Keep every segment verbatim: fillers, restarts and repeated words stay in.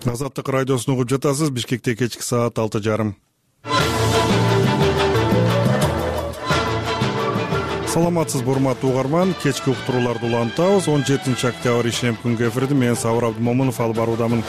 Азаттык радиосун угуп жатасыз. Бишкекте кечки саат алты жарым. Саламатсызбы, урматтуу угарман. Кечки уктурууларды улантабыз. он жетинчи октябрь ишемби күнгү эфирди мен Сабыр Абдымомунов алып баруудамын.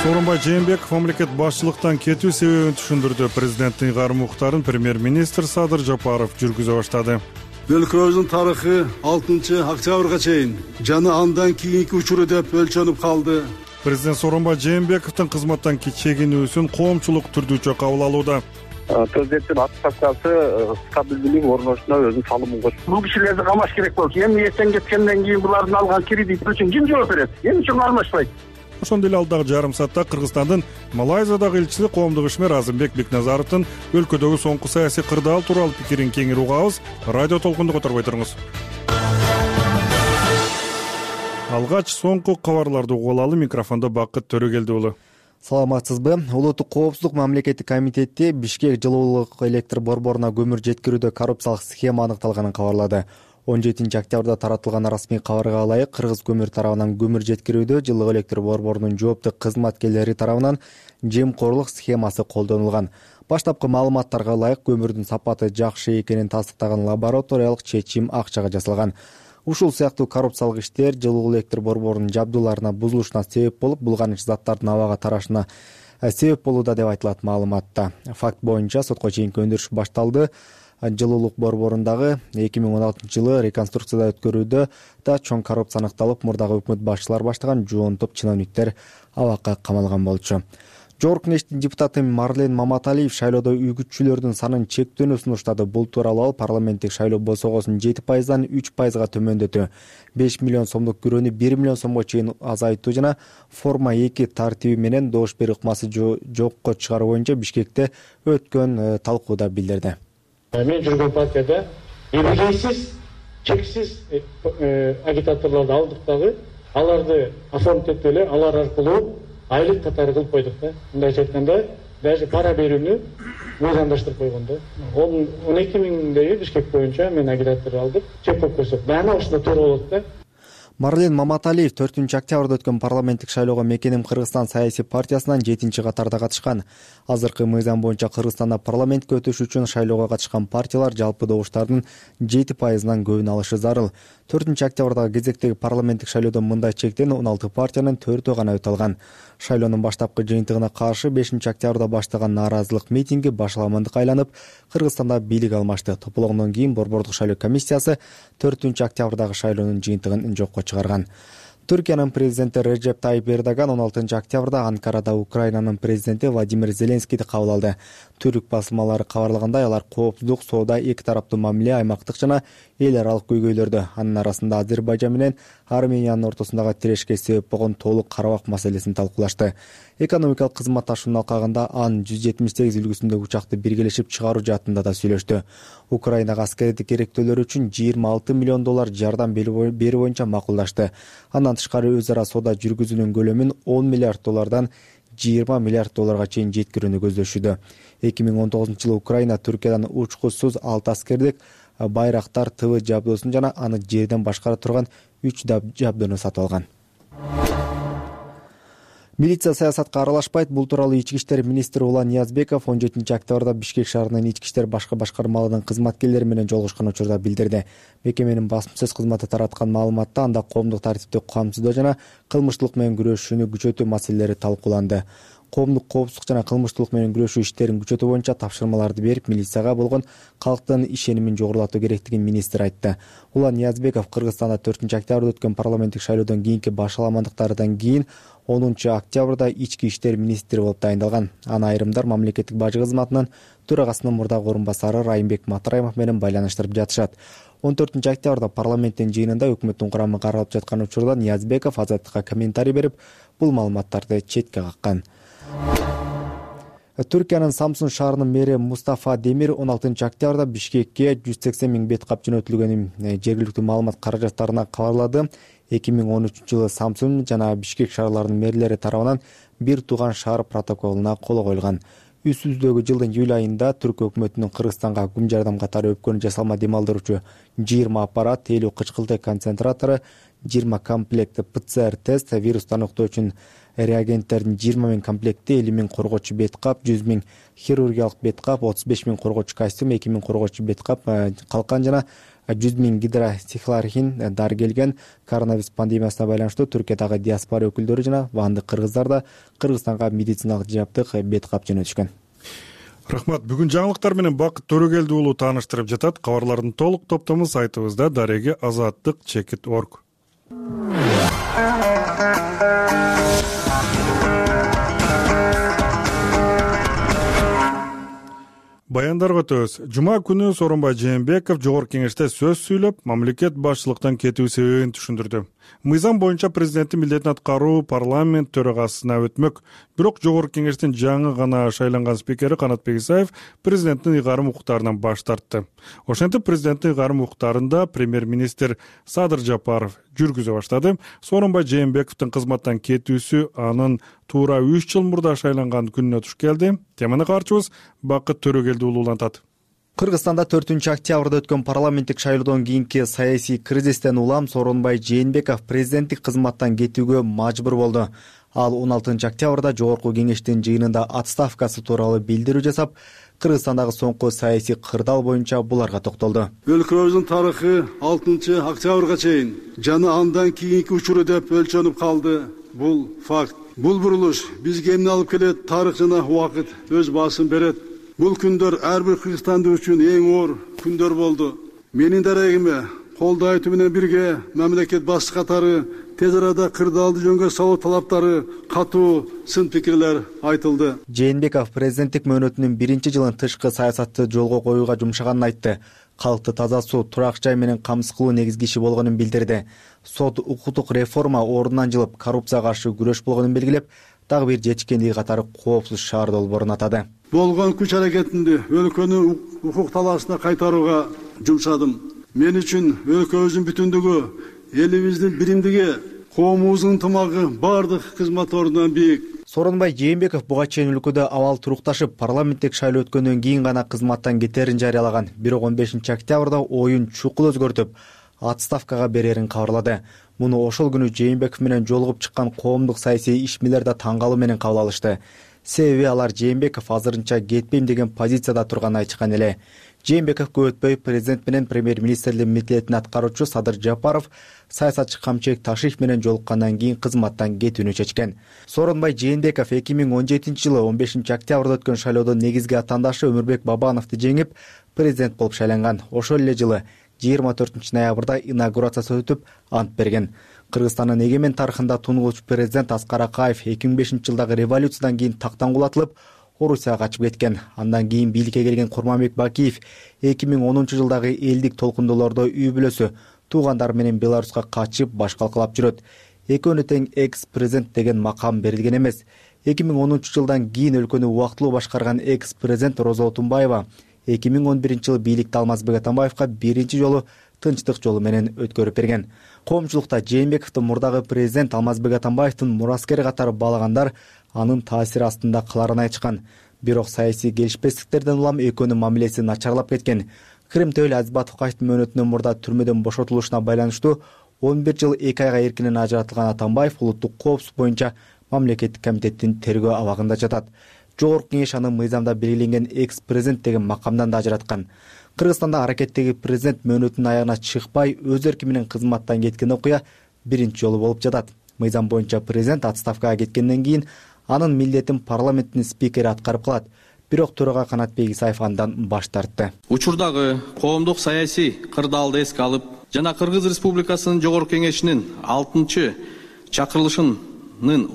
Сооронбай Жээнбеков мамлекет башчылыктан кетүү себебин түшүндүрдү. Президенттин ыйгарым уктарын премьер-министр Садыр Жапаров жүргүзө баштады. Өлкөбүздүн тарыхы алтынчы октябрга чейин жана андан кийинки учуру деп өлчөнүп калды. Президент Сооронбай Жээнбековдун кызматтан чегинүүсүн коомчулук түрдүүчө кабыл алууда. Президенттин аттестациясы стабилдүүлүк орношуна өзүнүн салымын кошт. Бул кишилерди камаш керек болчу. Эми эртең кеткенден кийин булардын алган кредит үчүн ким жооп берет? Эмне үчүн алмашпайт? Ошондой эле алдагы жарым саатта Кыргызстандын Малайзиядагы элчиси коомдук ишмер Азымбек Бекназаровдун өлкөдөгү соңку саясий кырдаал тууралуу пикирин кеңири угабыз. Радио толкунду которбой туруңуз. Алгач соңку кабарларды угуп алалы. Микрофондо Бакыт Төрөгелди уулу. Саламатсызбы? Улуттук коопсуздук мамлекеттик комитети Бишкек жылуулук электр борборуна көмүр жеткирүүдө коррупциялык схема аныкталганын кабарлады. он жетинчи октябрда таратылган расмий кабарга ылайык, Кыргыз көмүр тарабынан көмүр жеткирүүдө жылдык электр борборунун жооптуу кызматкерлери тарабынан жемкорлук схемасы колдонулган. Баштапкы маалыматтарга ылайык, көмүрдүн сапаты жакшы экенин тастыктаган лабораториялык чечим акчага жасалган. Ушул сыяктуу коррупциялык иштер жылуу электр борборунун жабдууларына бузулушуна себеп болуп, булганыч заттардын абага тарашына себеп болууда деп айтылат маалыматта. Факт боюнча сотко чейинки өндүрүш башталды. Жылуулук борборундагы эки миң он алтынчы жылы реконструкцияда өткөрүүдө да чоң коррупция аныкталып, мурдагы өкмөт башчылары баштаган жуун топ чиновниктер абакка камалган болчу. Жогорку Кеңештин депутаты Марлен Маматалиев шайлоодо үгүтчүлөрдүн санын чектөөнү сунуштады. Бул тууралуу ал парламенттик шайлоо босогосун жети пайыздан үч пайызга төмөндөтүү, беш миллион сомдук күрөөнү бир миллион сомго чейин азайтуу жана форма эки тартиби менен добуш берүү ыкмасы жокко чыгаруу боюнча Бишкекте өткөн талкууда билдирди. Мен жүргөн партияда эбегейсиз, чексиз агитаторлорду алдык дагы, аларды оформить этип эле алар аркылуу айлык катары кылып койдук да. Мындайча айтканда, даже пара берүүнү мыйзамдаштырып койгон да. он эки миңдей Бишкек боюнча мен агитатор алдык, чек болуп көрсөк, баана ушунда туура болот да. Марлен Маматалиев төртүнчү октябрда өткөн парламенттик шайлоого Мекеним Кыргызстан саясий партиясынан жетинчи катарда катышкан. Азыркы мыйзам боюнча Кыргызстанда парламентке өтүш үчүн шайлоого катышкан партиялар жалпы добуштардын жети пайызынан көбүн алышы зарыл. төртүнчү октябрдагы кезектеги парламенттик шайлоодо мындай чектен он алты партиянын төртөө гана өтө алган. Шайлоонун баштапкы жыйынтыгына каршы бешинчи октябрда баштаган нааразылык митинги башаламандыкка айланып, Кыргызстанда бийлик алмашты. Тополоңдон кийин борбордук шайлоо комиссиясы төртүнчү октябрдагы шайлоонун жыйынтыгын жокко чыгарган. Түркиянын президенти Реджеп Тайип Эрдоган он алтынчы октябрда Анкарада Украинанын президенти Владимир Зеленскийди кабыл алды. Түрк басылмалары кабарлагандай, алар коопсуздук, соода, эки тараптуу мамиле, аймактык жана эл аралык көйгөйлөрдү, анын арасында Азербайжан менен Армениянын ортосундагы тирешке себеп болгон Тоолук Карабак маселесин талкуулашты. Экономикалык кызматташуунун алкагында Ан жүз жетимиш сегиз үлгүсүндөгү учакты биргелешип чыгаруу жаатында да сүйлөштү. Украинага аскердик керектөөлөр үчүн жыйырма алты миллион доллар жардам берүү боюнча макулдашты. Андан тышкары өз ара соода жүргүзүүнүн көлөмүн он миллиард доллардан жыйырма миллиард долларга чейин жеткирүүнү көздөшүүдө. эки миң он тогузунчу жылы Украина Түркиядан учкусуз алты аскердик Байрактар ТВ жабдуусун жана аны жерден башкара турган үч жабдууну сатып алган. Милиция саясатка аралашпайт. Бул тууралуу Ички иштер министри Улан Ниязбеков он жетинчи октябрда Бишкек шаарынын ички иштер башкы башкармаларынын кызматкерлери менен жолугушкан учурда билдирди. Мекеменин басмасөз кызматы тараткан маалыматта анда коомдук тартипти камсыздоо жана кылмыштуулук менен күрөшүүнү күчөтүү маселелери талкууланды. Коомдук коопсуздук жана кылмыштуулук менен күрөшүү иштерин күчөтүү боюнча тапшырмаларды берип, милицияга болгон калктын ишенимин жогорулатуу керектигин министр айтты. Улан Ниязбеков Кыргызстанда төртүнчү октябрда өткөн парламенттик шайлоодон кийинки башаламандыктардан кийин онунчу октябрда ички иштер министри болуп дайындалган. Аны айрымдар мамлекеттик бажы кызматынын төрагасынын мурдагы орун басары Райымбек Матраимов менен байланыштырып жатышат. он төртүнчү октябрда парламенттин жыйынында өкмөттүн курамы каралып жаткан учурда Ниязбеков Азаттыкка комментарий берип, бул маалыматтарды четке каккан. Түркиянын Самсун шаарынын мэри Мустафа Демир он алтынчы октябрда Бишкекке жүз сексен миң бет кап жөнөтүлгөнүн жергиликтүү маалымат каражаттарына кабарлады. эки миң он үчүнчү жылы Самсун жана Бишкек шаарларынын мэрлери тарабынан бир тууган шаар протоколуна кол коюлган. үстүбүздөгү жылдын июль айында Түркия өкмөтүнүн Кыргызстанга күн жардам катары өпкөнү жасалма дем алдыруучу жыйырма аппарат, элүү кычкылтек концентратору, жыйырма комплект П Ц Р тест, вирусту аныктоо үчүн реагенттердин жыйырма миң комплекти, элүү миң коргоочу бет кап, жүз миң хирургиялык бет кап, отуз беш миң коргоочу костюм, эки миң коргоочу бет кап, калкан жана жүз миң гидросихлорохин дары келген. Коронавирус пандемиясына байланыштуу Түркиядагы диаспора өкүлдөрү жана вандык кыргыздар да Кыргызстанга медициналык жаптык бет кап жөнөтүшкөн. Рахмат. Бүгүн жаңылыктар менен Бакыт Төрөгелди уулу тааныштырып жатат. Кабарлардын толук топтому сайтыбызда дареги азаттык чекит точка орг. Баяндарга өтөбүз. Жума күнү Сооронбай Жээнбеков Жогорку Кеңеште сөз сүйлөп, мамлекет башчылыктан кетүү себебин түшүндүрдү. Мыйзам боюнча президенттин милдетин аткаруу парламент төрагасына өтмөк. Бирок Жогорку Кеңештин жаңы гана шайланган спикери Канатбек Исаев президенттин ыйгарым укуктарынан баш тартты. Ошентип президенттин ыйгарым укуктарында премьер-министр Садыр Жапаров жүргүзө баштады. Сооронбай Жээнбековдун кызматтан кетүүсү анын туура үч жыл мурда шайланган күнүнө туш келди. Теманы каарчыбыз Бакыт Төрөгелди уулу улантат. Кыргызстанда төртүнчү октябрда өткөн парламенттик шайлоодон кийинки саясий кризистен улам Сооронбай Жээнбеков президенттик кызматтан кетүүгө мажбур болду. Ал он алтынчы октябрда Жогорку Кеңештин жыйынында отставкасы тууралуу билдирүү жасап, Кыргызстандагы соңку саясий кырдаал боюнча буларга токтолду. Өлкөбүздүн тарыхы алтынчы октябрга чейин жана андан кийинки учуру деп өлчөнүп калды. Бул факт. Бул бурулуш бизге эмне алып келет? Тарых жана убакыт өз баасын берет. Бул күндөр ар бир кыргызстандык үчүн эң оор күндөр болду. Менин дарегиме колдоо айтуу менен бирге мамлекет башчы катары тез арада кырдаалды жөнгө салуу талаптары катуу сын пикирлер айтылды. Жээнбеков президенттик мөөнөтүнүн биринчи жылын тышкы саясатты жолго коюуга жумшаганын айтты. Калкты таза суу, турак жай менен камсыз кылуу негизги иши болгонун билдирди. Сот укуктук реформа ордунан жылып, коррупцияга каршы күрөш болгонун белгилеп, дагы бир жетишкендиги катары коопсуз шаар долбоорун атады. Болгон күч аракетинди өлкөнү укук талаасына кайтарууга жумшадым. Мен үчүн өлкөбүздүн бүтүндүгү, элибиздин биримдиги, коомубуздун ынтымагы бардык кызмат ордунан бийик. Сооронбай Жээнбеков буга чейин өлкөдө абал турукташып, парламенттик шайлоо өткөндөн кийин гана кызматтан кетерин жарыялаган. Бирок он бешинчи октябрда оюн чукул өзгөртүп, отставкага берерин кабарлады. Муну ошол күнү Жээнбеков менен жолугуп чыккан коомдук саясий ишмерлер да таң калуу менен кабыл алышты. Себеби алар Жээнбеков азырынча кетпейм деген позицияда турганын айтышкан эле. Жээнбеков көп өтпөй президент менен премьер-министрлин милдетин аткаруучу Садыр Жапаров саясатчы Камчыбек Ташиев менен жолуккандан кийин кызматтан кетүүнү чечкен. Сооронбай Жээнбеков эки миң он жетинчи жылы он бешинчи октябрда өткөн шайлоодон негизги атаандашы Өмүрбек Бабановду жеңип, президент болуп шайланган. Ошол эле жылы жыйырма төртүнчү ноябрда инаугурациясы өтүп, ант берген. Кыргызстандын эгемен тарыхында тунугуч президент Аскар Акаев эки миң бешинчи жылдагы революциядан кийин тактан кулатылып, Орусияга качып кеткен. Андан кийин бийликке келген Курманбек Бакиев эки миң онунчу жылдагы элдик толкундоолордо үй бүлөсү, туугандары менен Беларуска качып баш калкалап жүрөт. Экөөнө тең экс-президент деген макам берилген эмес. эки миң онунчу жылдан кийин өлкөнү убактылуу башкарган экс-президент Роза Отунбаева эки миң он биринчи жылы бийликти Алмазбек Атамбаевка биринчи жолу тынчтык жолу менен өткөрүп берген. Коомчулукта Жээнбековду мурдагы президент Алмазбек Атамбаевдин мураскери катары баалагандар анын таасири астында каларын айтышкан. Бирок саясий келишпестиктерден улам экөөнүн мамилеси начарлап кеткен. Крим Төөл Азбатовкачтын мөөнөтүнөн мурда түрмөдөн бошотулушуна байланыштуу он бир жыл эки айга эркинен ажыратылган Атамбаев улуттук коопсуздук боюнча мамлекеттик комитеттин тергөө абагында жатат. Жогорку Кеңеш аны мыйзамда белгиленген экс-президент деген макамдан да ажыраткан. Кыргызстанда аракеттеги президент мөөнөтүнүн аягына чыкпай өз эрки менен кызматтан кеткен окуя биринчи жолу болуп жатат. Мыйзам боюнча президент отставкага кеткенден кийин анын милдетин парламенттин спикери аткарып калат. Бирок төрага Канатбек Исаев андан баш тартты. Учурдагы коомдук саясий кырдаалды эске алып, жана Кыргыз Республикасынын Жогорку Кеңешинин алтынчы чакырылышынын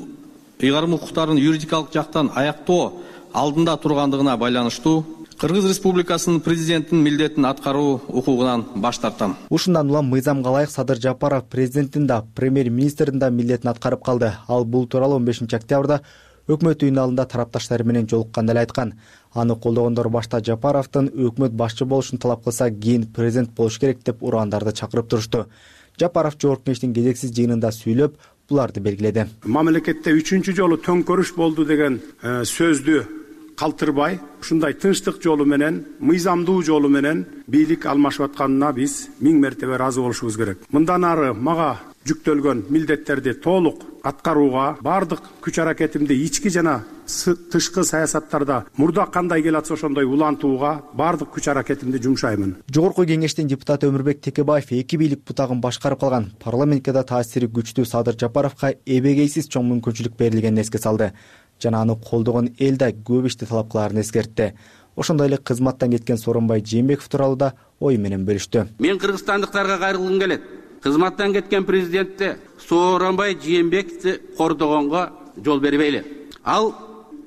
ыйгарым укуктарын юридикалык жактан аяктоо алдында тургандыгына байланыштуу Кыргыз Республикасынын президентинин милдетин аткаруу укугунан баш тартам. Ушундан улам мыйзамга ылайык Садыр Жапаров президенттин да, премьер-министрдин да милдетин аткарып калды. Ал бул тууралуу он бешинчи октябрда өкмөт үйүнүн алдында тарапташтары менен жолукканда эле айткан. Аны колдогондор башта Жапаровдун өкмөт башчы болушун талап кылса, кийин президент болуш керек деп урандарды чакырып турушту. Жапаров Жогорку Кеңештин кезексиз жыйынында сүйлөп, буларды белгиледи. Мамлекетте үчүнчү жолу төңкөрүш болду деген сөздү калтырбай ушундай тынчтык жолу менен, мыйзамдуу жолу менен бийлик алмашып атканына биз миң мертебе ыраазы болушубуз керек. Мындан ары мага жүктөлгөн милдеттерди толук аткарууга, бардык күч аракетимди ички жана тышкы саясаттарда мурда кандай келатса ошондой улантууга бардык күч аракетимди жумшаймын. Жогорку кеңештин депутаты Өмүрбек Текебаев эки бийлик бутагын башкарып калган парламентке да таасири күчтүү Садыр Жапаровго эбегейсиз чоң мүмкүнчүлүк берилгенин эске салды жана аны колдогон эл да көп ишти талап кылаарын эскертти. Ошондой эле кызматтан кеткен Сооронбай Жээнбеков тууралуу да ою менен бөлүштү. Мен кыргызстандыктарга кайрылгым келет. Кызматтан кеткен президентти Сооронбай Жээнбековди кордогонго жол бербейли. Ал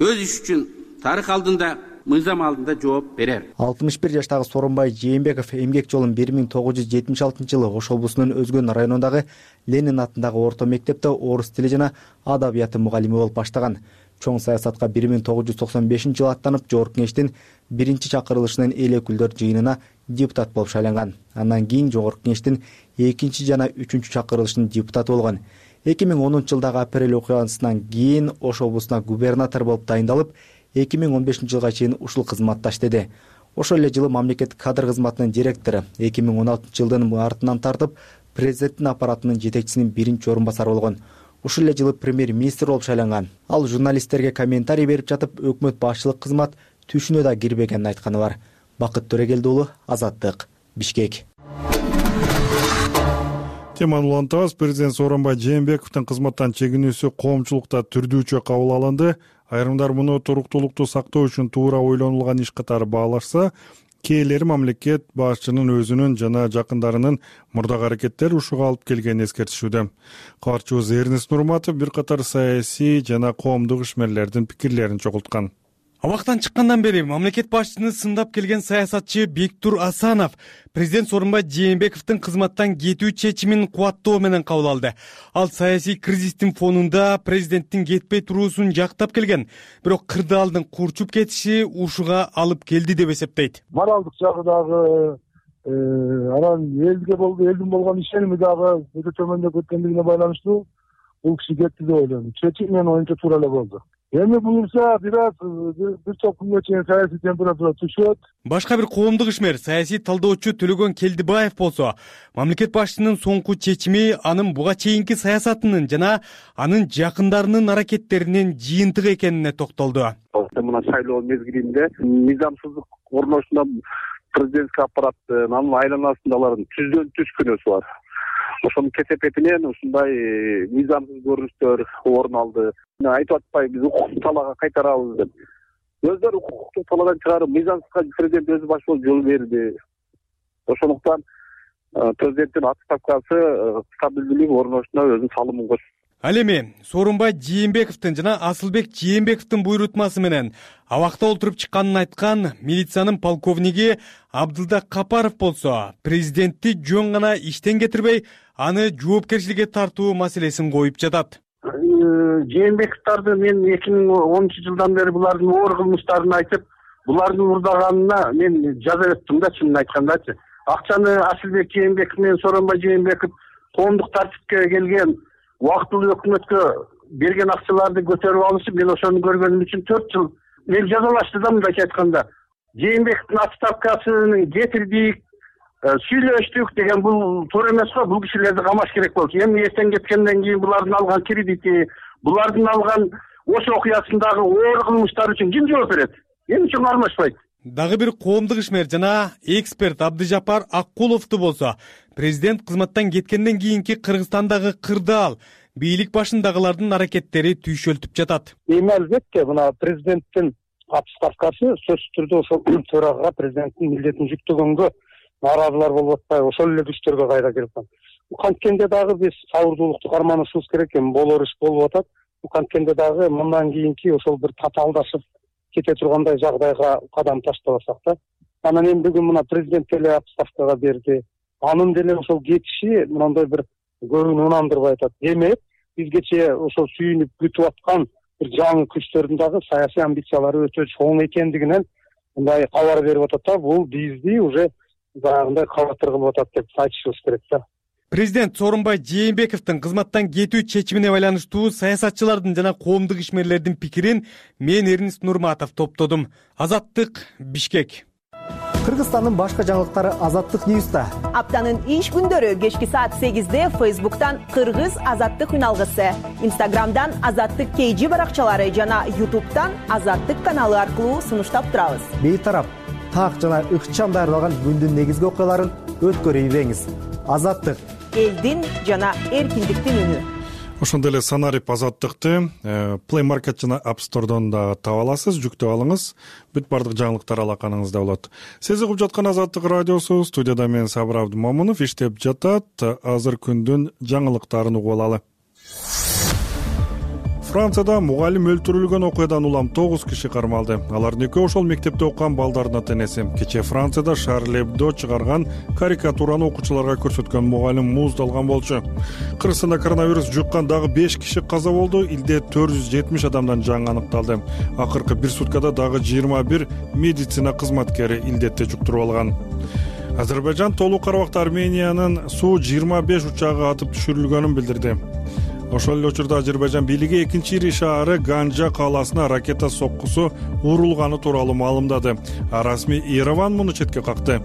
өз иш үчүн тарых алдында, мыйзам алдында жооп берер. алтымыш бир жаштагы Сооронбай Жээнбеков эмгек жолун бир миң тогуз жүз жетимиш алтынчы жылы Ош облусунун Өзгөн районундагы Ленин атындагы орто мектепте орус тили жана адабияты мугалими болуп баштаган. Чоң саясатка бир миң тогуз жүз токсон бешинчи жылы аттанып, Жогорку кеңештин биринчи чакырылышынын эл өкүлдөр жыйынына депутат болуп шайланган. Андан кийин Жогорку кеңештин экинчи жана үчүнчү чакырылышынын депутаты болгон. эки миң онунчу жылдагы апрель окуясынан кийин Ош облусуна губернатор болуп дайындалып, эки миң он бешинчи жылга чейин ушул кызматта иштеди. Ошол эле жылы мамлекеттик кадр кызматынын директору, эки миң он алтынчы жылдын мартынан тартып президенттин аппаратынын жетекчисинин биринчи орун басары болгон. Ушул эле жылы премьер-министр болуп шайланган. Ал журналисттерге комментарий берип жатып, өкмөт башчылык кызмат түшүнө да кирбегенин айтканы бар. Бакыт Төрөгелди уулу, Азаттык, Бишкек. Теманы улантабыз. Президент Сооронбай Жээнбековдун кызматтан чегинүүсү коомчулукта түрдүүчө кабыл алынды. Айрымдар муну туруктуулукту сактоо үчүн туура ойлонулган иш катары баалашса, кээрлери мамлекет башчынын өзүнүн жана жакындарынын мурдагы аракеттери ушуга алып келгенин эскертишүүдө. Кабарчыбыз Эрнест Нурматов бир катар саясий жана коомдук ишмерлердин пикирлерин чогулткан. Абактан чыккандан бери мамлекет башчыны сындап келген саясатчы Бектур Асанов президент Сооронбай Жээнбековдун кызматтан кетүү чечимин кубаттоо менен кабыл алды. Ал саясий кризистин фонунда президенттин кетпей туруусун жактап келген, бирок кырдаалдын курчуп кетиши ушуга алып келди деп эсептейт. Моралдык жагы дагы, анан элге болду, элдин болгон ишеними дагы өтө төмөндөп кеткендигине байланыштуу бул киши кетти деп ойлойм. Чечим менин оюмча туура эле болду. Эми буюрса бир аз бир топ күнгө чейин саясий температура түшөт. Башка бир коомдук ишмер, саясий талдоочу Төлөгөн Келдибаев болсо, мамлекет башчынын соңку чечими анын буга чейинки саясатынын жана анын жакындарынын аракеттеринин жыйынтыгы экенине токтолду. Мына шайлоо мезгилинде мыйзамсыздык орношуна президентский аппараттын анын айланасындагылардын түздөн түз күнөөсү бар. Ошонун кесепетинен ушундай мыйзамсыз көрүнүштөр орун алды. Айтып атпай биз укуктук талаага кайтарабыз деп. Өздөрү укуктук талаадан чыгарып, мыйзамсызга президент өзү баш болуп жол берди. Ошондуктан президенттин отставкасы стабилдүүлүк орношуна өзүнүн салымын кошду. Ал эми Сооронбай Жээнбековдун жана Асылбек Жээнбековдун буйрутмасы менен абакта олтуруп чыкканын айткан милициянын полковниги Абдылда Капаров болсо, президентти жөн гана иштен кетирбей, аны жоопкерчиликке тартуу маселесин коюп жатат. Жээнбековдорду мен эки миң онунчу жылдан бери булардын оор кылмыштарын айтып, булардын мурдаганына мен жаза өттүм да, чынын айткандачы. Акчаны Асылбек Жээнбеков менен Сооронбай Жээнбеков коомдук тартипке келген убактылуу өкмөткө берген акчаларды көтөрүп алышып, мен ошону көргөнүм үчүн төрт жыл мен жазалашты да, мындайча айтканда. Жээнбековдун отставкасын кетирдик, сүйлөштүк деген бул туура эмес го. Бул кишилерди камаш керек болчу. Эми эртең кеткенден кийин булардын алган кредити, булардын алган Ош окуясындагы оор кылмыштар үчүн ким жооп берет? Эмне үчүн кармашпайт? Дагы бир коомдук ишмер жана эксперт Абдыжапар Аккуловду болсо, президент кызматтан кеткенден кийинки Кыргызстандагы кырдаал, бийлик башындагылардын аракеттери түйшөлтүп жатат. Эми албетте мына президенттин отставкасы сөзсүз түрдө ошол төрага президенттин милдетин жүктөгөнгө нааразылар болуп атпайбы, ошол эле күчтөргө кайра келип калат. Канткенде дагы биз сабырдуулукту карманышыбыз керек эми, болор иш болуп атат. Канткенде дагы мындан кийинки ошол бир татаалдашып кете тургандай жагдайга кадам таштабасак да. Анан эми бүгүн мына президент деле отставкага берди. Анын деле ошол кетиши мындай бир көбүн унандырбай атат. Демек, бизгече ошол сүйүнүп күтүп аткан бир жаңы күчтөрдүн дагы саясий амбициялары өтө чоң экендигинен мындай кабар берип атат да. Бул бизди уже баягындай кабатыр кылып атат деп айтышыбыз керек да. Президент Сооронбай Жээнбековдун кызматтан кетүү чечимине байланыштуу саясатчылардын жана коомдук ишмерлердин пикирин мен Эрнис Нурматов топтодум. Азаттык, Бишкек. Кыргызстандын башка жаңылыктары Азаттык Ньюста. Аптанын иш күндөрү кечки саат сегизде Фейсбуктан Кыргыз Азаттык үналгысы, Инстаграмдан Азаттык Кейжи баракчалары жана Ютубтан Азаттык каналы аркылуу сунуштап турабыз. Бейтарап, так жана ыкчам даярдалган күндүн негизги окуяларын өткөрүп ийбеңиз. Азаттык. Элдин жана эркиндиктин үнү. Ошондой эле санарип Азаттыкты Play Market жана App Store'дон да таба аласыз, жүктөп алыңыз. Бүт бардык жаңылыктар алаканыңызда болот. Сиз угуп жаткан Азаттык радиосу, студияда мен Сабыр Абдымомунов иштеп жатат. Азыр күндүн жаңылыктарын угуп алалы. Францияда мугалим өлтүрүлгөн окуядан улам тогуз киши кармалды. Алардын экөө ошол мектепте окуган балдардын ата-энеси. Кечээ Францияда Шарль Эбдо чыгарган карикатураны окуучуларга көрсөткөн мугалим мууздалган болчу. Кыргызстанда коронавирус жуккан дагы беш киши каза болду. Илде төрт жүз жетимиш адамдан жаңы аныкталды. Акыркы бир суткада дагы жыйырма бир медицина кызматкери илдетти жуктуруп алган. Азербайжан толук карабакта Армениянын Су жыйырма беш учагы атып түшүрүлгөнүн билдирди. Ошол эле учурда Азербайжан бийлиги экинчи ири шаары Ганжа калаасына ракета соккусу урулганы тууралуу маалымдады. А расмий Ереван муну четке какты.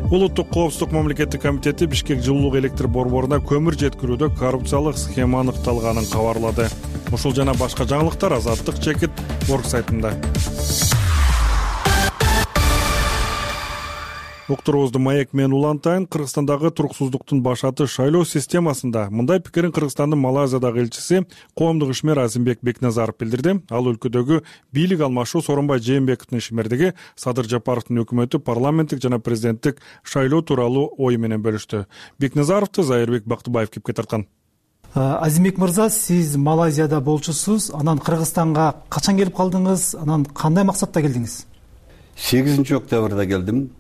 Улуттук коопсуздук мамлекеттик комитети Бишкек жылуулук электр борборуна көмүр жеткирүүдө коррупциялык схема аныкталганын кабарлады. Ушул жана башка жаңылыктар Азаттык чекит орг сайтында. Уктуруубузду маек менен улантайын. Кыргызстандагы туруксуздуктун башаты шайлоо системасында мындай пикирин Кыргызстандын Малайзиядагы элчиси коомдук ишмер Азимбек Бекназаров билдирди. Ал өлкөдөгү бийлик алмашуу Сооронбай Жээнбековдун ишмердиги Садыр Жапаровдун өкмөтү парламенттик жана президенттик шайлоо тууралуу ою менен бөлүштү. Бекназаровду Зайырбек Бактыбаев кепке тарткан. Азимбек мырза, сиз Малайзияда болчусуз. Анан Кыргызстанга качан келип калдыңыз? Анан кандай максатта келдиңиз? сегизинчи октябрда келдим.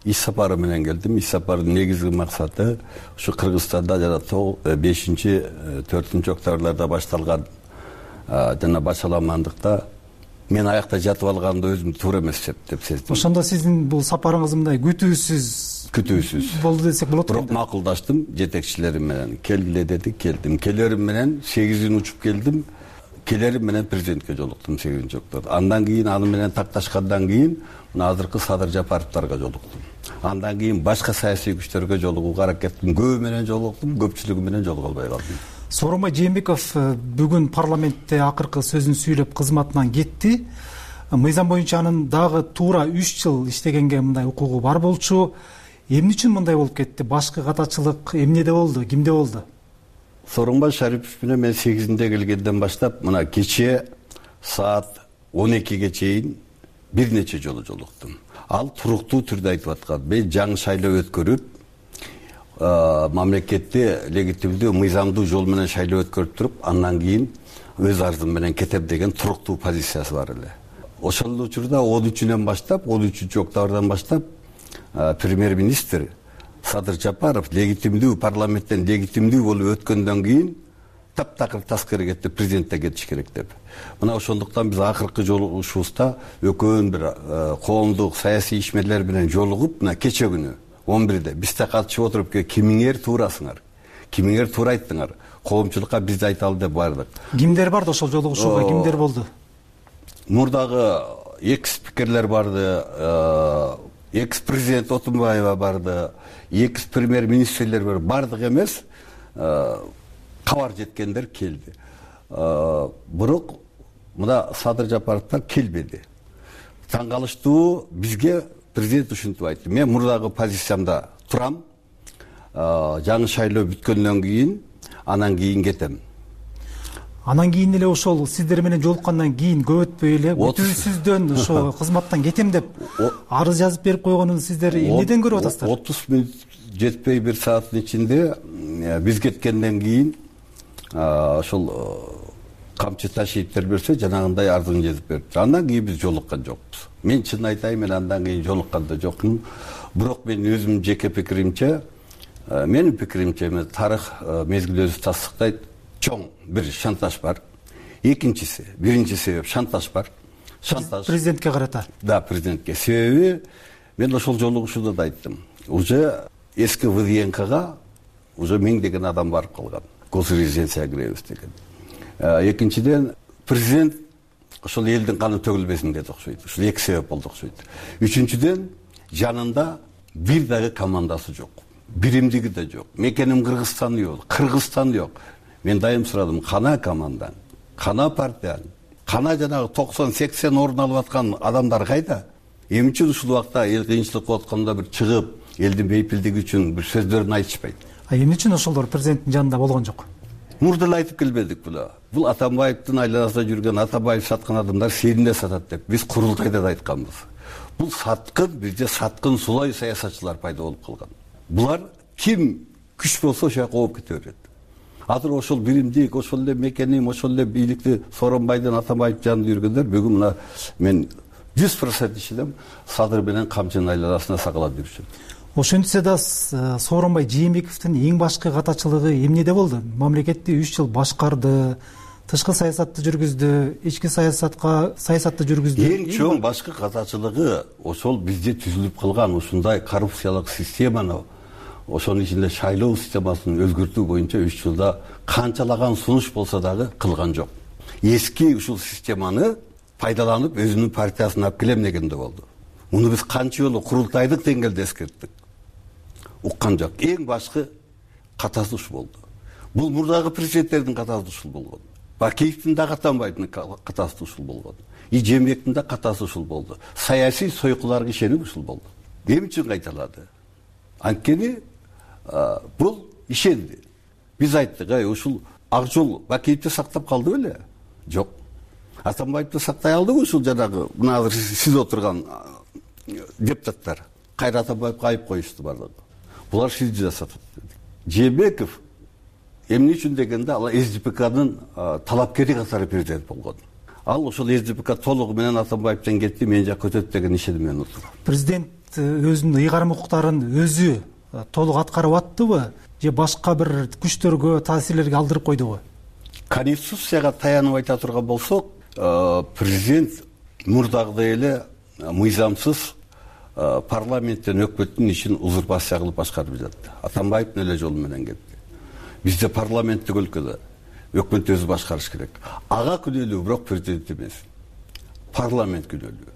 Иш сапары менен келдим. Иш сапардын негизги максаты ушу Кыргызстанда жана бешинчи төртүнчү октябрларда башталган жана башаламандыкта мен аякта жатып алганды өзүм туура эмес деп сездим. Ошондо сиздин бул сапарыңыз мындай күтүүсүз күтүүсүз болду десек болот. Бирок макулдаштым жетекчилерим менен. Келгиле дедик, келдим. Келерим менен сегизин учуп келдим. Келерим менен президентке жолуктум сегизинчи октябрда. Андан кийин аны менен такташкандан кийин мына азыркы Садыр Жапаровдорго жолуктум. Андан кийин башка саясий күчтөргө жолугууга аракет кылдым. Көбү менен жолуктум, көпчүлүгү менен жолуга албай калдым. Сооронбай Жээнбеков бүгүн парламентте акыркы сөзүн сүйлөп кызматынан кетти. Мыйзам боюнча анын дагы туура үч жыл иштегенге мындай укугу бар болчу. Эмне үчүн мындай болуп кетти? Башкы катачылык эмнеде болду? Кимде болду? Сооронбай Шарипов менен мен сегизинде келгенден баштап мына кечээ саат он экиге чейин бир нече жолу жолуктум. Ал туруктуу түрдө айтып аткан. Мен жаңы шайлоо өткөрүп, мамлекетти легитимдүү, мыйзамдуу жол менен шайлоо өткөрүп туруп, андан кийин өз арзым менен кетем деген туруктуу позициясы бар эле. Ошол учурда он үчүнөн баштап, он үчүнчү октябрдан баштап премьер-министр Садыр Жапаров легитимдүү, парламенттен легитимдүү болуп өткөндөн кийин таптакыр таскери кетти, президентте кетиш керек деп. Мына ошондуктан биз акыркы жолугушуубузда өкөн бир коомдук саясий ишмерлер менен жолугуп, мына кече күнү он бирде бизде катышып отуруп, кимиңер туурасыңар, кимиңер туура айттыңар, коомчулукка биз айталы деп бардык. Кимдер барды ошол жолугушууга, кимдер болду? Мурдагы экс спикерлер барды, экс президент Отунбаева барды, экс премьер-министрлер бар, бардык эмес, кабар жеткендер келди. Бирок мына Садыр Жапаровдор келбеди. Таң калыштуу, бизге президент ушинтип айтты. Мен мурдагы позициямда турам. Жаңы шайлоо бүткөндөн кийин, анан кийин кетем. Анан кийин эле ошол сиздер менен жолуккандан кийин көп өтпөй эле бүтүүсүздөн ошо кызматтан кетем деп арыз жазып берип койгонун сиздер эмнеден көрүп атасыздар? отуз мүнөт жетпей бир сааттын ичинде биз кеткенден кийин ошол камчы ташиевдер берсе жанагындай арызын жазып берди. Андан кийин биз жолуккан жокпуз. Мен чын айтайын, мен андан кийин жолуккан да жокмун. Бирок мен өзүмдүн жеке пикиримче, менин пикиримче, тарых мезгил өзү тастыктайт. Чоң бир шантаж бар. Экинчиси, биринчи себеп шантаж бар. Шантаж президентке карата. Да, президентке. Себеби мен ошол жолугушууда да айттым. Уже эски ВДНКга уже миңдеген адам барып калган. Госрезиденцияга киребиз деген. Экинчиден, президент ошол элдин каны төгүлбесин деп окшойт. Ушул эки себеп болду окшойт. Үчүнчүдөн, жанында бир дагы командасы жок. Биримдиги да жок. Мекеним Кыргызстан жок, Кыргызстан жок. Мен дайым сурадым, кана командаң, кана партияң, кана жанагы токсон сексен орун алып аткан адамдар кайда? Эмне үчүн ушул убакта эл кыйынчылык болуп атканда бир чыгып, элдин бейпилдиги үчүн бир сөздөрүн айтышпайт? А эмне үчүн ошолор президенттин жанында болгон жок? Мурда эле айтып келбедик була. Бул Атамбаевдин айланасында жүргөн Атамбаев саткан адамдар сенде сатат деп биз курултайда да айтканбыз. Бул саткын, бизде саткын сулай саясатчылар пайда болуп калган. Булар ким күч болсо ошол жака ооп кете берет. Азыр ошол биримдик, ошол эле мекеним, ошол эле бийликти Сооронбайдын, Атамбаев жанында жүргөндөр бүгүн мына мен жүз процент ишенем, Садыр менен камчынын айланасына сакалап жүрүшөт. Ошентсе да Сооронбай Жээнбековдун эң башкы катачылыгы эмнеде болду? Мамлекетти үч жыл башкарды, тышкы саясатты жүргүздү, ички саясатка саясатты жүргүздү. Эң чоң башкы катачылыгы ошол бизде түзүлүп калган ушундай коррупциялык системаны, ошонун ичинде шайлоо системасын өзгөртүү боюнча үч жылда канчалаган сунуш болсо дагы кылган жок. Эски ушул системаны пайдаланып өзүнүн партиясын алып келем дегенде болду. Муну биз канча жолу курултайдык деңгээлде эскерттик. Уккан жок. Эң башкы катасы ушул болду. Бул мурдагы президенттердин катасы ушул болгон. Бакиевдин да Атамбаевдин катасы ушул болгон. И Жээнбековдун да катасы ушул болду. Саясий сойкуларга ишенип ушул болду. Эмне үчүн кайталады? Анткени бул ишенди. Биз айттык, ай ушул ак жол Бакиевди сактап калды беле? Жок. Атамбаевди сактай алдыбы ушул жанагы мына азыр сиз отурган депутаттар? Кайра Атамбаевге айып коюшту бардыгы. Булар сизди да сатат. Жээнбеков эмне үчүн дегенде ал СДПКнын талапкери катары президент болгон. Ал ошол СДПК толугу менен Атамбаевден кетти, мен жакка өтөт деген ишеним менен отур. Президент өзүнүн ыйгарым укуктарын өзү толук аткарып аттыбы же башка бир күчтөргө, таасирлерге алдырып койдубу? Конституцияга таянып айта турган болсок, президент мурдагыдай эле мыйзамсыз парламенттен өкмөттүн ишин узурпация кылып башкарып жатты. Атамбаевдин эле жолу менен кетти. Бизде парламенттик өлкөдө өкмөт өзү башкарыш керек. Ага күнөөлүү бирок президент эмес. Парламент күнөөлүү.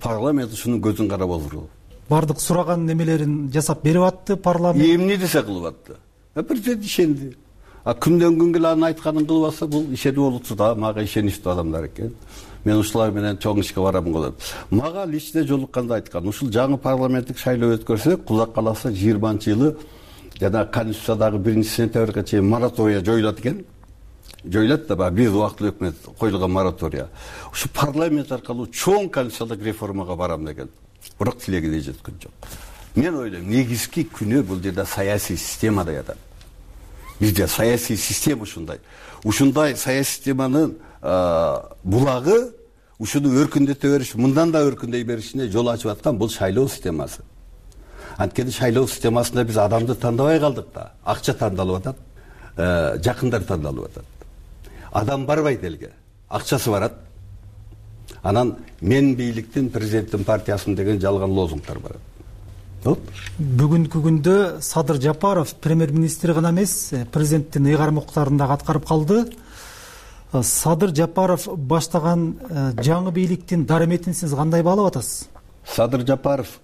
Парламент ушунун көзүн карап отурду. Бардык сураган немелерин жасап берип атты парламент. Эмне десе кылып атты. Президент ишенди. А күндөн күнгө анын айтканын кылып атса, бул ишенип болупчу да, мага ишеничтүү адамдар экен. Мен ушулар менен чоң ишке барам болот. Мага лично жолукканда айткан, ушул жаңы парламенттик шайлоо өткөрсөк, Кудай кааласа жыйырманчы жылы жана Конституциядагы биринчи сентябрга чейин моратория жоюлат экен. Жоюлат да бир убактылуу өкмөт коюлган моратория. Ушу парламент аркылуу чоң конституциялык реформага барам деген. Бирок тилегине жеткен жок. Мен ойлойм, негизги күнөө бул жерде саясий системада ятат. Бизде саясий система ушундай. Ушундай саясий системанын булагы ушуну өркүндөтө бериш, мындан да өркүндөй беришине жол ачып аткан бул шайлоо системасы. Анткени шайлоо системасында биз адамды тандабай калдык да. Акча тандалып атат, жакындар тандалып атат. Адам барбайт элге, акчасы барат. Анан мен бийликтин, президенттин партиясын деген жалган лозунгдар барат. Бүгүнкү күндө Садыр Жапаров премьер-министр гана эмес, президенттин ыйгарым укуктарын да аткарып калды. Садыр Жапаров баштаган жаңы бийликтин дараметин сиз кандай баалап атасыз? Садыр Жапаров,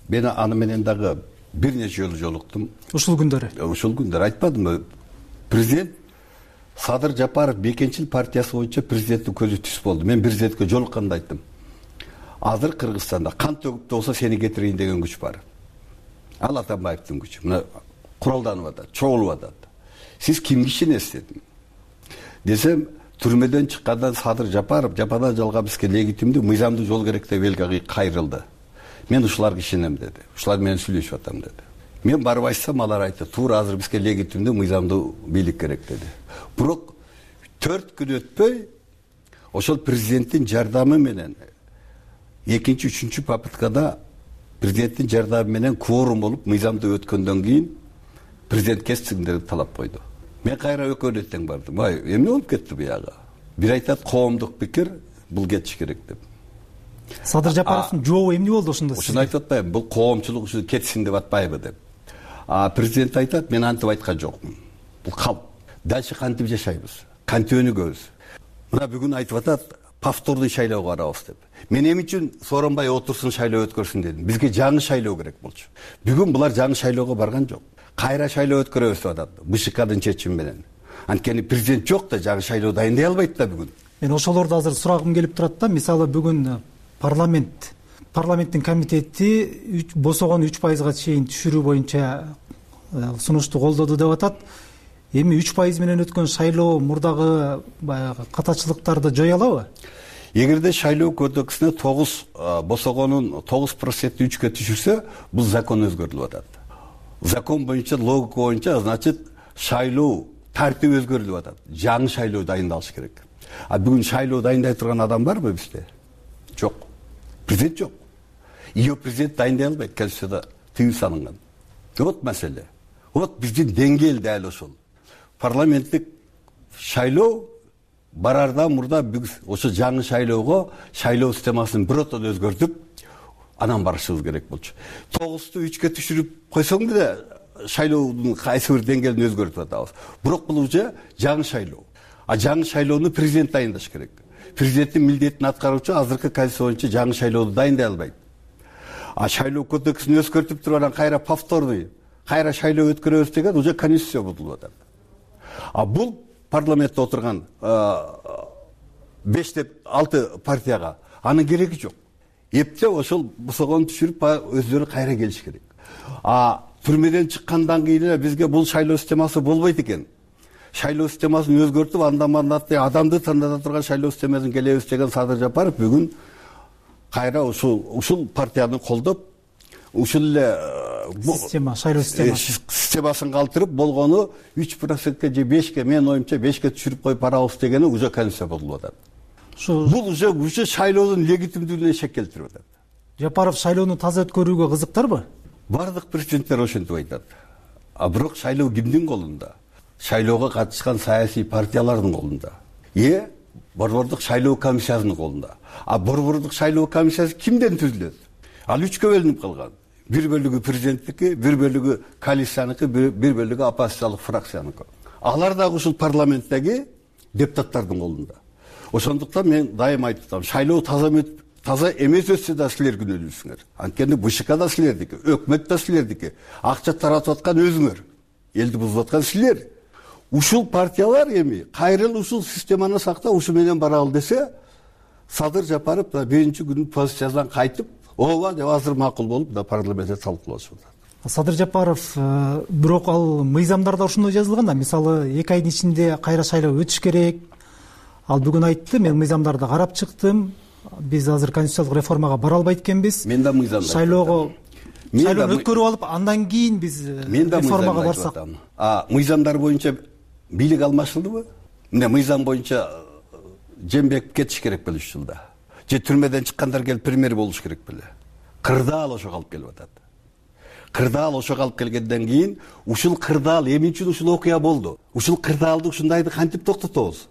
мен аны менен дагы бир нече жолу жолуктум. Ушул күндөрү? Ушул күндөрү айтпадымбы? Президент Садыр Жапаров Бекенчил партиясы боюнча президенттин көзү түз болду. Мен президентке жолукканда айттым. Азыр Кыргызстанда кан төгүп болсо сени кетирейин деген күч бар. Ал Атамбаевдин күчү. Мына куралданып атат, чогулуп атат. Сиз кимге ишенесиз дедим. Десем, түрмөдөн чыккандан Садыр Жапаров жападан жалгап бизге легитимдүү, мыйзамдуу жол керек деп элге кайрылды. Мен ушуларга ишенем деди. Ушулар менен сүйлөшүп атам деди. Мен барып айтсам, алар айтты, туура азыр бизге легитимдүү, мыйзамдуу бийлик керек деди. Бирок төрт күн өтпөй ошол президенттин жардамы менен экинчи, үчүнчү попыткада президенттин жардамы менен кворум болуп, мыйзамдуу өткөндөн кийин президент кетсиңдер деп талап койду. Мен кайра экөөнө тең бардым. Ай, эмне болуп кетти бияга? Бир айтат коомдук пикир, бул кетиш керек деп. Садыр Жапаровдун жообу эмне болду ошондо? Ошону айтып атпайбы, бул коомчулук ушу кетсин деп атпайбы деп. А президент айтат, мен антип айткан жокмун. Бул калп. Дальше кантип жашайбыз? Кантип өнүгөбүз? Мына бүгүн айтып атат, повтордуу шайлоого барабыз деп. Мен эмне үчүн Сооронбай отурсун, шайлоо өткөрсүн дедим. Бизге жаңы шайлоо керек болчу. Бүгүн булар жаңы шайлоого барган жок. Кайра шайлоо өткөрөбүз деп атат. БШКдын чечими менен. Анткени президент жок да, жаңы шайлоо дайындай албайт да бүгүн. Мен ошолорду азыр сурагым келип турат да. Мисалы бүгүн парламент парламенттин комитети босогон үч пайызга чейин түшүрүү боюнча сунушту колдоду деп атат. Эми үч пайыз менен өткөн шайлоо мурдагы баягы катачылыктарды жое алабы? Эгерде шайлоо кодексине тогуз босогонун тогуз проценти үчкө түшүрсө, бул закон өзгөрүлүп атат. Закон боюнча, логика боюнча, значит, шайлоо тартиби өзгөрүлүп атат. Жаңы шайлоо дайындалыш керек. А бүгүн шайлоо дайындай турган адам барбы бизде? Жок. Президент жок. Ио президент дайындай албайт, Конституцияда тыюу салынган. Вот маселе. Вот биздин деңгээл дәл ошол. Парламенттик шайлоо барардан мурда биз ошо жаңы шайлоого шайлоо системасын биротон өзгөртүп, анан барышыбыз керек болчу. тогузду үчкө түшүрүп койсоң деле шайлоонун кайсы бир деңгээлин өзгөртүп атабыз. Бирок бул уже жаңы шайлоо. А жаңы шайлоону президент дайындаш керек. Президенттин милдетин аткаруучу азыркы конституция боюнча жаңы шайлоonu дайындай албайт. А шайлоо кодексин өзгөртүп туруп анан кайра повторный, кайра шайлоо өткөрөбүз деген уже конституция бузулуп атат. А бул парламентте отурган беш деп алты партияга анын кереги жок. Эптеп ошол босогонду түшүрүп өздөрү кайра келиш керек. А түрмөдөн чыккандан кийин бизге бул шайлоо системасы болбойт экен. Шайлоо системасын өзгөртүп, андан мандатты адамды тандата турган шайлоо системасын келебиз деген Садыр Жапаров бүгүн кайра ушул ушул партияны колдоп, ушул эле система, шайлоо системасы системасын калтырып, болгону үч процентке же бешке, менин оюмча бешке түшүрүп коюп барабыз дегени уже конституция бузулуп атат. Бул уже уже шайлоонун легитимдүүлүгүнө шек келтирип атат. Жапаров шайлоону таза өткөрүүгө кызыктарбы? Бардык президенттер ошентип айтат. А бирок шайлоо кимдин колунда? Шайлоого катышкан саясий партиялардын колунда. Э, борбордук шайлоо комиссиясынын колунда. А борбордук шайлоо комиссиясы кимден түзүлөт? Ал үчкө бөлүнүп калган. Бир бөлүгү президенттики, бир бөлүгү коалицияныкы, бир бөлүгү оппозициялык фракцияныкы. Алар дагы ушул парламенттеги депутаттардын колунда. Ошондуктан мен дайым айтып атам, шайлоо таза таза эмес өтсө да силер күнөөлүүсүңөр. Анткени БШК да силердики, өкмөт да силердики, акча таратып аткан өзүңөр, элди бузуп аткан силер. Ушул партиялар эми кайрыл ушул системаны сактап, ушу менен баралы десе, Садыр Жапаров да биринчи күнү позициясынан кайтып, ооба деп азыр макул болуп да парламентте талкуулашып атат. Садыр Жапаров бирок ал мыйзамдарда ошондой жазылган да, мисалы эки айдын ичинде кайра шайлоо өтүш керек. Ал бүгүн айтты, мен мыйзамдарды карап чыктым. Биз азыр конституциялык реформага бара албайт экенбиз. Мен да мыйзамды шайлоого шайлоону өткөрүп алып, андан кийин биз реформага барсак. А мыйзамдар боюнча бийлик алмашылдыбы? Мына мыйзам боюнча Жээнбеков кетиш керек беле үч жылда. Же түрмөдөн чыккандар келип премьер болуш керек беле. Кырдаал ошого алып келип атат. Кырдаал ошого алып келгенден кийин ушул кырдаал эмне үчүн ушул окуя болду? Ушул кырдаалды ушундайды кантип токтотобуз?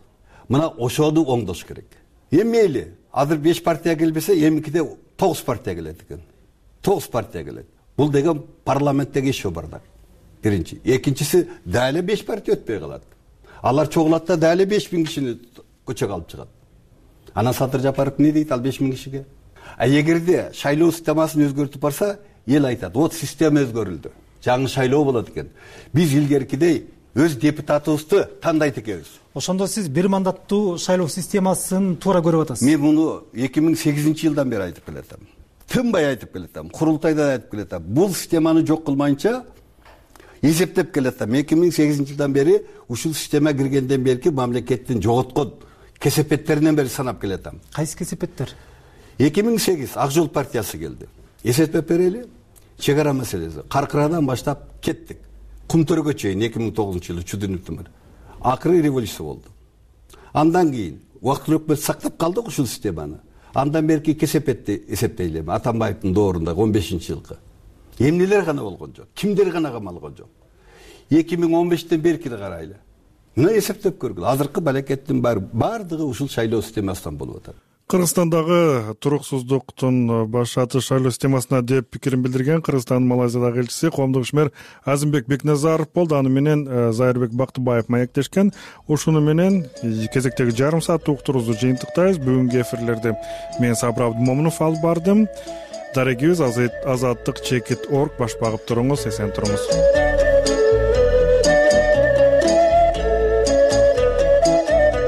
Мына ошону оңдош керек. Эми мейли, азыр беш партия келбесе, эмикиде тогуз партия келет экен. тогуз партия келет. Бул деген парламенттеги ишөө бардак. Биринчи. Экинчиси, дали беш партия өтпөй калат. Алар чогулат да дали беш миң кишини көчөгө алып чыгат. Анан Садыр Жапаров эмне дейт ал беш миң кишиге? А эгерде шайлоо системасын өзгөртүп барса, эл айтат, вот система өзгөрүлдү. Жаңы шайлоо болот экен. Биз илгеркидей өз депутатыбызды тандайт экенбиз. Ошондо сиз бир мандаттуу шайлоо системасын туура көрүп атасыз. Мен муну эки миң сегизинчи жылдан бери айтып келатам. Тынбай айтып келатам, курултайда айтып келатам. Бул системаны жок кылмайынча эсептеп келатам. эки миң сегизинчи жылдан бери ушул система киргенден берки мамлекеттин жоготкон кесепеттеринен бери санап келатам. Кайсы кесепеттер? эки миң сегиз Ак Жол партиясы келди. Эсептеп берели. Чек ара маселеси. Каркырадан баштап кеттик. Кумтөргө чейин эки миң тогузунчу жылы чүдүнүптүм бар. Акыры революция болду. Андан кийин убактылуу өкмөт сактап калдык ушул системаны. Андан берки кесепетти эсептейли эми Атамбаевдин доорунда он бешинчи жылкы. Эмнелер гана болгон жок, кимдер гана камалган жок. эки миң он бештен беркини карайлы. Мына эсептеп көргүлө. Азыркы балекеттин баары бардыгы ушул шайлоо системасынан болуп атат. Кыргызстандагы туруксуздуктун баш атыш шайлоо системасына деп пикирин билдирген Кыргызстандын Малайзиядагы элчиси коомдук ишмер Азимбек Бекназаров болду. Аны менен Зайырбек Бактыбаев маектешкен. Ушуну менен кезектеги жарым сааттык уктуруубузду жыйынтыктайбыз. Бүгүнкү эфирлерди мен Сабыр Абдымомунов алып бардым. Дарегибиз азаттык чекит точка орг баш багып туруңуз, эсен туруңуз.